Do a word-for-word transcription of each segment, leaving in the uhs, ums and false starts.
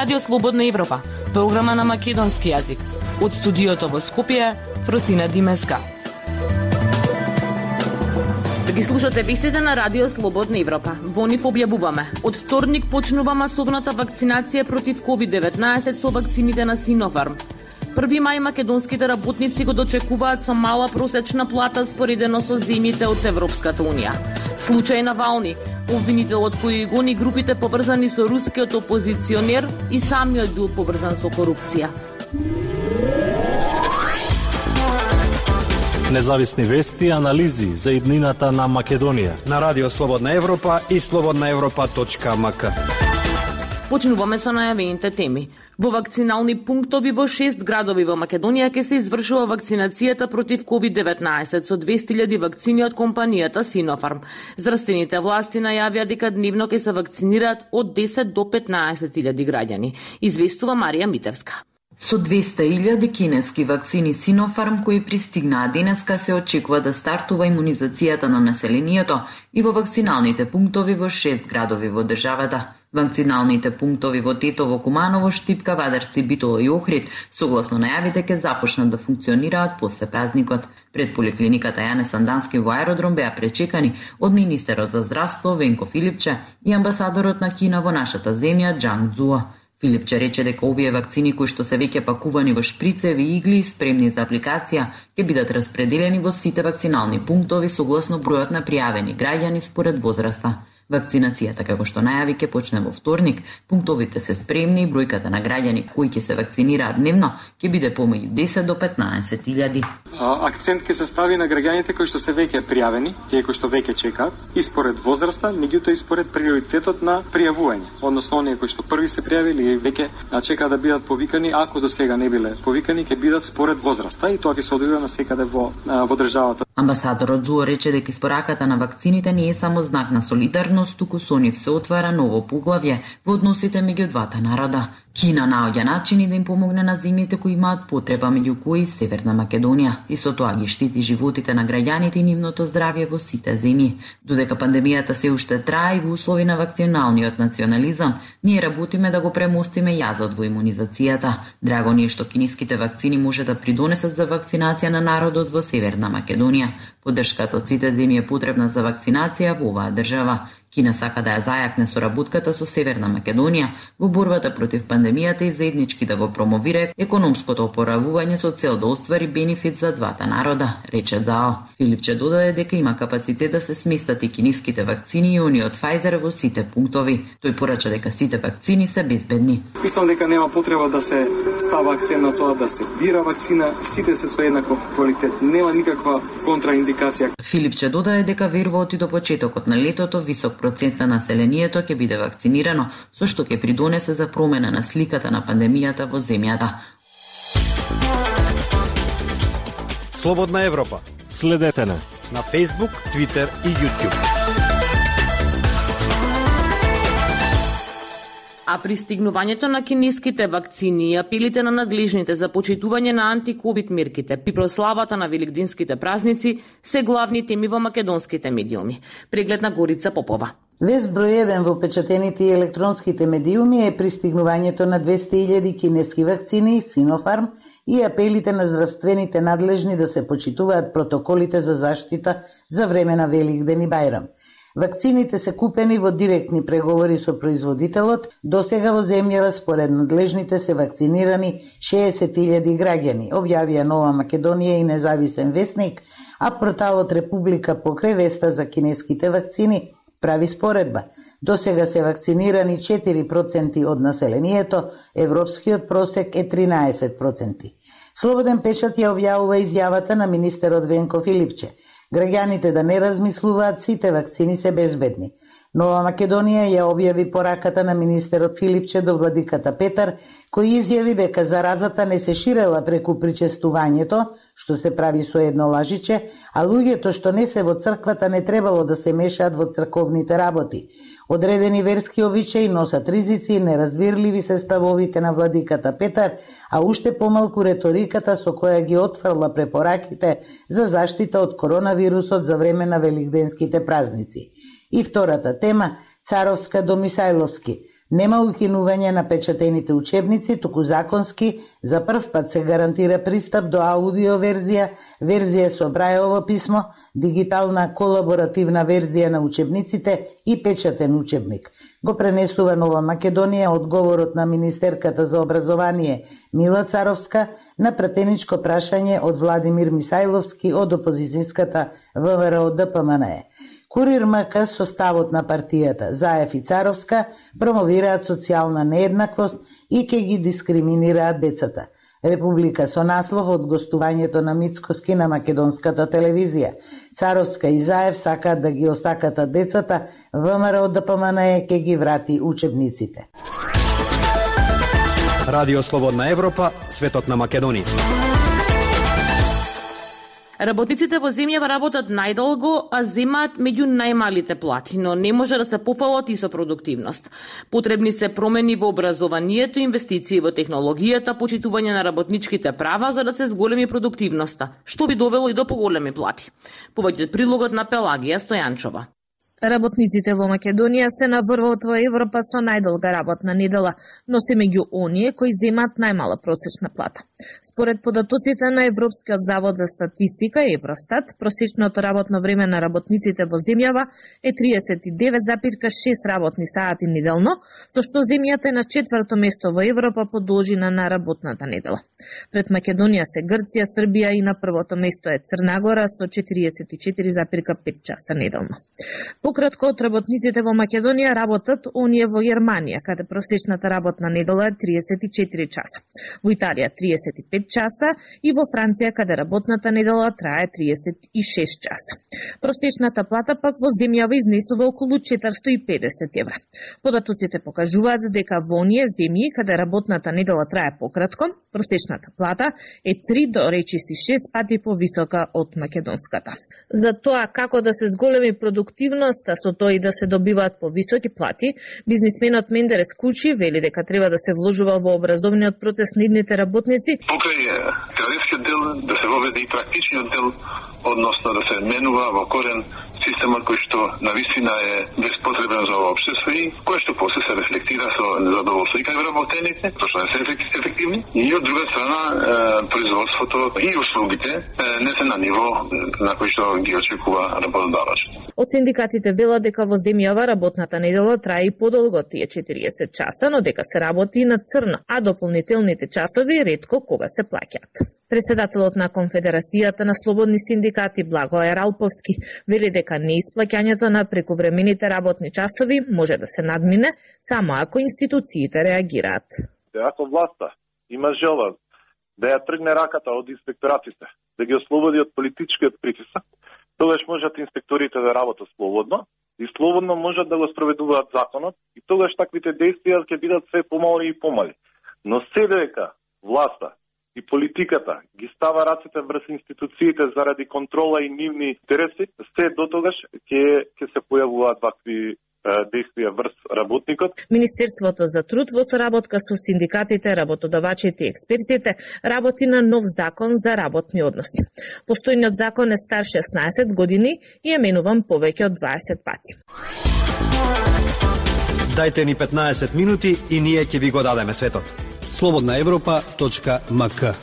Радио Слободна Европа, програма на македонски јазик. Од студиото во Скопје, Фросина Димеска. Да ги слушате вестите на Радио Слободна Европа. Во нив објавуваме. Од вторник почнува масовната вакцинација против ковид деветнаесет со вакцините на Синофарм. први мај македонските работници го дочекуваат со мала просечна плата споредено со земјите од Европската Унија. Случај на Навални, обвинителот кој гони групите поврзани со рускиот опозиционер и самиот бил поврзан со корупција. Независни вести и анализи за иднината на Македонија на Радио Слободна Европа и слободна европа точка ем ка. Почнуваме со најавените теми. Во вакцинални пунктови во шест градови во Македонија ќе се извршува вакцинацијата против ковид деветнаесет со двесте илјади вакцини од компанијата Синофарм. Здравствените власти најавија дека дневно ќе се вакцинираат од десет до петнаесет илјади граѓани, известува Марија Митевска. Со двесте илјади кинески вакцини Синофарм кои пристигнаа денеска се очекува да стартува имунизацијата на населението и во вакциналните пунктови во шест градови во државата. Вакциналните пунктови во Тетово, Куманово, Штипка, Вадарци, Битола и Охрид, согласно најавите, ќе започнат да функционираат после празникот. Пред поликлиниката Јане Сандански во аеродром беа пречекани од министерот за здравство Венко Филипче и амбасадорот на Кина во нашата земја Џанг Цзуо. Филипче рече дека овие вакцини кои што се веќе пакувани во шприцеви игли спремни за апликација ќе бидат распределени во сите вакцинални пунктови согласно бројот на пријавени граѓани според возраста. Вакцинацијата, како што најави, ќе почне во вторник. Пунктовите се спремни и бројката на граѓани кои ќе се вакцинираат дневно ќе биде помеѓу десет до петнаесет илјади. Акцент ќе се стави на граѓаните кои што се веќе пријавени, тие кои што веќе чекаат, и според возраста, меѓутоа и според приоритетот на пријавување. Односно, оние кои што први се пријавили и веќе чекаат да бидат повикани, ако до сега не биле повикани, ќе бидат според возраста и тоа ќе се одвива насекаде во во државата. Амбасадорот Зуо рече дека испораката на вакцините не е само знак на солидарност, туку со нив се отвара ново поглавје во односите меѓу двата народа. Кина наоѓа начини да им помогне на земјите кои имаат потреба, меѓу кои Северна Македонија, и со тоа ги штити животите на граѓаните и нивното здравје во сите земји. Додека пандемијата се уште трае и во услови на вакционалниот национализам, ние работиме да го премостиме јазот во имунизацијата. Драго ни е што кинеските вакцини може да придонесат за вакцинација на народот во Северна Македонија. Поддршката од сите земји е потребна за вакцинација во оваа држава. Кина сака да ја зајакне соработката со Северна Македонија во борбата против пандемијата и заеднички да го промовира економското опоравување со цел да оствари бенефит за двата народа, рече Дао. Филипче додаде дека има капацитет да се сместат и кинеските вакцини и они од Pfizer во сите пунктови. Тој порача дека сите вакцини се безбедни. Мислам дека нема потреба да се става акцент на тоа да се бира вакцина, сите се со еднаков квалитет, нема никаква контраиндикација. Филипче додаде дека верува оти до почетокот на летото висок процент на населението ќе биде вакцинирано, со што ќе придонесе за промена на сликата на пандемијата во земјата. Слободна Европа. Следете на на Facebook, Twitter и YouTube. А пристигнувањето на кинеските вакцини и апелите на надлежните за почитување на антиковид мерките при прославата на великденските празници се главни теми во македонските медиуми. Преглед на Горица Попова. Вест број еден во печатените и електронските медиуми е пристигнувањето на двесте илјади кинески вакцини Синофарм и апелите на здравствените надлежни да се почитуваат протоколите за заштита за време на Великден и Бајрам. Вакцините се купени во директни преговори со производителот. Досега во земјава според надлежните се вакцинирани шеесет илјади граѓани, објавија Нова Македонија и Независен весник, а порталот Република покрај веста за кинеските вакцини прави споредба. Досега се вакцинирани четири проценти од населението, европскиот просек е тринаесет проценти. Слободен печат ја објавува изјавата на министерот Венко Филипче. Граѓаните да не размислуваат, сите вакцини се безбедни. Нова Македонија ја објави пораката на министерот Филипче до владиката Петар, кој изјави дека заразата не се ширела преку причестувањето, што се прави со едно лажиче, а луѓето што не се во црквата не требало да се мешаат во црковните работи. Одредени верски обичаи носат ризици, неразбирливи се ставовите на владиката Петар, а уште помалку реториката со која ги отфрла препораките за заштита од коронавирусот за време на великденските празници. И втората тема, Царовска до Мисајловски. Нема укинување на печатените учебници, туку законски за прв пат се гарантира пристап до аудио верзија, верзија со Брајово писмо, дигитална колаборативна верзија на учебниците и печатен учебник. Го пренесува Нова Македонија одговорот на министерката за образование Мила Царовска на пратеничко прашање од Владимир Мисајловски од опозицијската ВМРО Д П М Н Е. Курир МК со ставот на партијата Заев и Царовска промовираат социјална нееднаквост и ќе ги дискриминираат децата. Република со наслов од гостувањето на Мицкоски на македонската телевизија. Царовска и Заев сакаат да ги осакатат децата, ВМРО Д П М Н Е ќе ги врати учебниците. Радио Слободна Европа, светот на Македонија. Работниците во земјава работат најдолго, а земаат меѓу најмалите плати, но не може да се пофалат и со продуктивност. Потребни се промени во образованието, инвестиции во технологијата, почитување на работничките права за да се зголеми продуктивноста, што би довело и до поголеми плати. Повеќе прилогот на Пелагија Стојанчова. Работниците во Македонија се на врвот во Европа со најдолга работна недела, но се меѓу оние кои земаат најмала просечна плата. Според податоците на Европскиот завод за статистика Евростат, просечното работно време на работниците во земјава е триесет и девет зарез шест работни сати неделно, со што земјата е на четврто место во Европа по должина на работната недела. Пред Македонија се Грција, Србија и на првото место е Црна Гора со четириесет и четири зарез пет часа неделно. Пократко од работниците во Македонија работат оние во Германија, каде просечната работна недела е триесет и четири часа. Во Италија триесет и пет часа и во Франција, каде работната недела трае триесет и шест часа. Просечната плата пак во земјава изнесува околу четиристо и педесет евра. Податоците покажуваат дека во оние земји каде работната недела трае пократко, просечната плата е три до речиси шест пати повисока од македонската. За тоа како да се зголеми продуктивност, а со тоа и да се добиваат повисоки плати, бизнисменот Мендерес Кучи вели дека треба да се вложува во образовниот процес на идните работници. Покрај теоретскиот дел да се воведе и практичниот дел, односно да се менува во корен системот кој што навистина е безпотребен за ова општество и кој што после се рефлектира со незадоволство и кај вработените, зашто не се ефективни, и од друга страна производството и услугите не се на ниво на кој што ги очекува работодавач. Од синдикатите велат дека во земјава работната недела трае и подолго тие четириесет часа, но дека се работи и на црно, а дополнителните часови ретко кога се плаќаат. Преседателот на Конфедерацијата на слободни синдикати Благоер Алповски вели дека неисплаќањето на прековремените работни часови може да се надмине само ако институциите реагираат. Ако власта има желба да ја тргне раката од инспекторатите, да ги ослободи од политичкиот притисок, тогаш можат инспекторите да работат слободно и слободно можат да го спроведуваат законот и тогаш таквите действија ќе бидат се помали и помали. Но се дека власта и политиката ги става рацете врз институциите заради контрола и нивни интереси, се дотогаш ќе ќе се појавуваат вакви действија врз работникот. Министерството за труд во соработка со синдикатите, работодавачите и експертите работи на нов закон за работни односи. Постојниот закон е стар шеснаесет години и е менуван повеќе од дваесет пати. Дајте ни петнаесет минути и ние ќе ви го дадеме светот. слободна европа точка м к.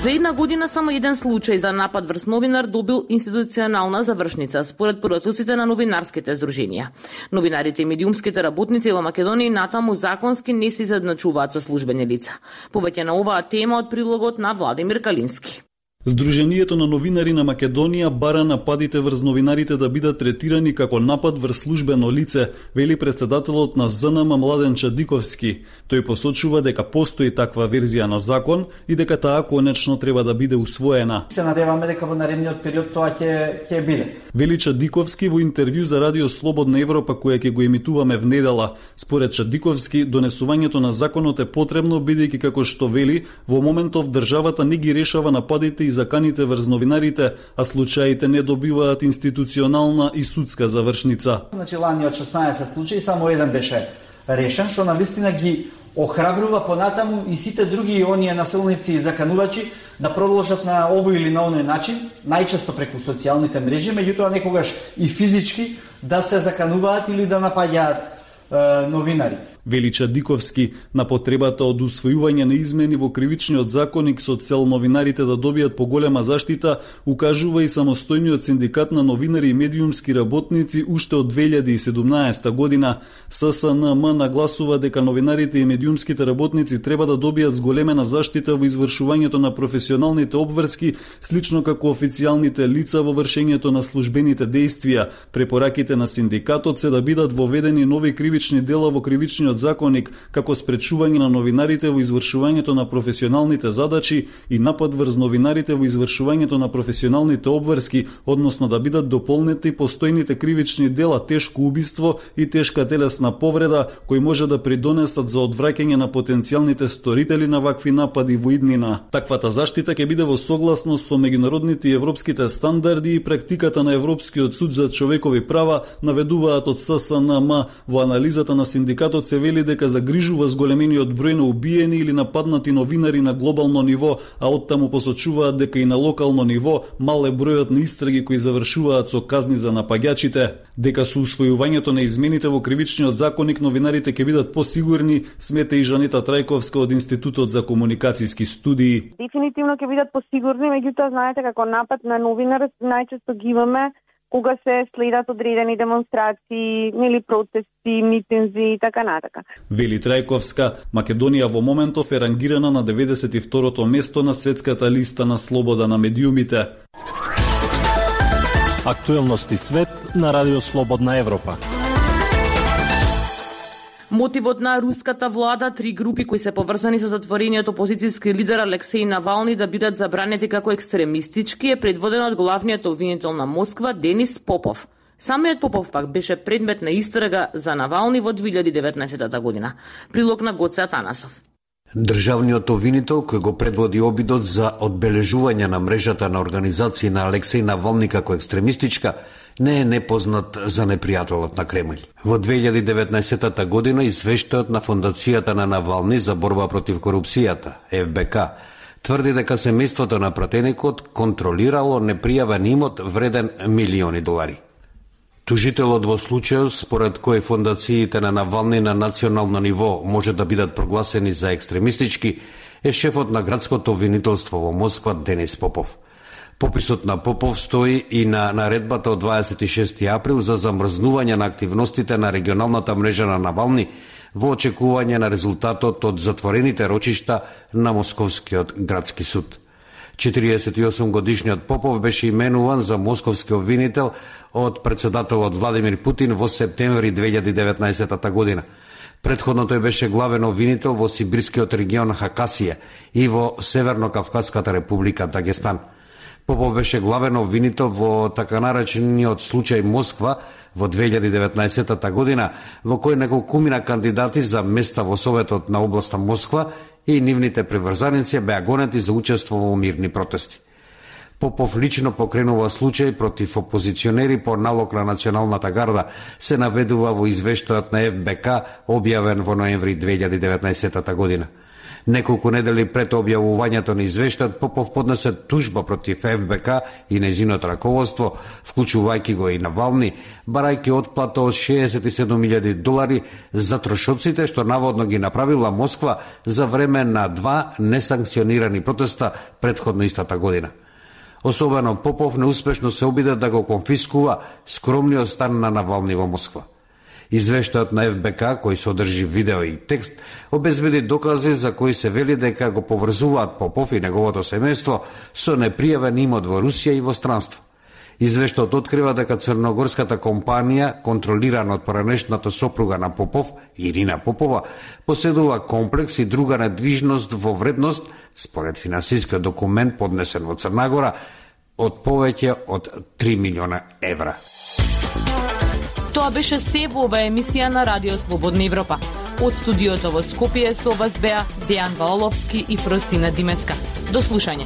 За една година само еден случај за напад врз новинар добил институционална завршница, според податоците на новинарските здруженија. Новинарите и медиумските работници во Македонија натаму законски не се изедначуваат со службени лица. Повеќе на оваа тема од прилогот на Владимир Калински. Сдруженијето на новинари на Македонија бара нападите врз новинарите да бидат третирани како напад врз службено лице, вели председателот на З Н М Младен Чадиковски. Тој посочува дека постои таква верзија на закон и дека таа конечно треба да биде усвоена. Се надеваме дека во наредниот период тоа ќе ќе биде. Вели Чадиковски во интервју за Радио Слободна Европа која ќе го емитуваме внедела. Според Чадиковски, донесувањето на законот е потребно бидејќи како што вели, во моментов државата не ги решава нападите и заканите врз новинарите, а случаите не добиваат институционална и судска завршница. Значи лани од шеснаесет случаи само еден беше решен, што навистина ги охрабрува понатаму и сите други оние насилници и заканувачи да продолжат на овој или на оној начин, најчесто преку социјалните мрежи, меѓутоа некогаш и физички да се закануваат или да напаѓаат е, новинари. Вели Чадиковски на потребата од усвојување на измени во кривичниот законник со цел новинарите да добијат поголема заштита, укажува и самостојниот синдикат на новинари и медиумски работници уште од две илјади и седумнаесета година. С С Н М нагласува дека новинарите и медиумските работници треба да добијат зголемена заштита во извршувањето на професионалните обврски, слично како официјалните лица во вршењето на службените дејствија. Препораките на синдикатот се да бидат воведени нови кривични дела во кривичниот законник, како спречување на новинарите во извршувањето на професионалните задачи и напад врз новинарите во извршувањето на професионалните обврски, односно да бидат дополнети постојните кривични дела тешко убиство и тешка телесна повреда, кои може да придонесат за одвраќање на потенцијалните сторители на вакви напади во иднина. Таквата заштита ќе биде во согласност со меѓународните и европските стандарди и практиката на Европскиот суд за човекови права, наведуваат од С С Н М. Во анализата на синдикатот се вели дека загрижува зголемениот број на убиени или нападнати новинари на глобално ниво, а оттаму посочуваат дека и на локално ниво мал е бројот на истраги кои завршуваат со казни за напаѓачите. Дека со усвојувањето на измените во кривичниот законник новинарите ќе бидат посигурни, смета и Жанета Трајковска од Институтот за комуникацијски студии. Дефинитивно ќе бидат посигурни, меѓутоа знаете како напад на новинар најчесто ги имаме кога се следат одредени демонстрации, нели протести, митинзи и така натака. Вели Трајковска, Македонија во моментов е рангирана на деветдесет и второто место на светската листа на слобода на медиумите. Актуелности свет на Радио Слободна Европа. Мотивот на руската влада три групи кои се поврзани со затворениот опозицијски лидер Алексеј Навални да бидат забранети како екстремистички е предводен од главниот обвинител на Москва Денис Попов. Самиот Попов пак беше предмет на истрага за Навални во две илјади и деветнаесета година. Прилог на Гоце Атанасов. Државниот обвинител кој го предводи обидот за одбележување на мрежата на организации на Алексеј Навални како екстремистичка не е непознат за непријателот на Кремљ. Во две илјади и деветнаесета година извештајот на Фондацијата на Навални за борба против корупцијата, Ф Б К, тврди дека семејството на пратеникот контролирало непријавен имот вреден милиони долари. Тужителот во случајот според кој фондациите на Навални на национално ниво може да бидат прогласени за екстремистички е шефот на градското обвинителство во Москва Денис Попов. Пописот на Попов стои и на наредбата од дваесет и шести април за замрзнување на активностите на регионалната мрежа на Навални во очекување на резултатот од затворените рочишта на Московскиот градски суд. четириесет и осум годишниот Попов беше именуван за московски обвинител од председателот Владимир Путин во септември две илјади и деветнаесета година. Претходно тој беше главен обвинител во Сибирскиот регион Хакасија и во Северно-Кавказската република Дагестан. Попов беше главен обвинител во така наречениот случај Москва во две илјади и деветнаесета година, во кој неколкумина кандидати за места во Советот на областа Москва и нивните приврзаници беа гонети за учество во мирни протести. Попов лично покренува случај против опозиционери по налог на Националната гарда, се наведува во извештајот на Ф Б К објавен во ноември две илјади и деветнаесета година. Неколку недели пред објавувањето на извештајот, Попов поднесе тужба против Ф Б К и нејзиното раководство, вклучувајќи го и Навални, барајќи отплата од шеесет и седум илјади долари за трошоците што наводно ги направила Москва за време на два несанкционирани протеста претходно истата година. Особено Попов неуспешно се обиде да го конфискува скромниот стан на Навални во Москва. Извештајот на Ф Б К, кој содржи видео и текст, обезбеди докази за кои се вели дека го поврзуваат Попов и неговото семејство со непријавен имот во Русија и во странство. Извештајот открива дека црногорската компанија, контролирана од поранешната сопруга на Попов, Ирина Попова, поседува комплекс и друга недвижност во вредност, според финансискиот документ поднесен во Црна Гора, од повеќе од три милиона евра. Тоа беше се во оваа емисија на Радио Слободна Европа. Од студиото во Скопје со вас беа Дејан Валовски и Фростина Димеска. До слушање.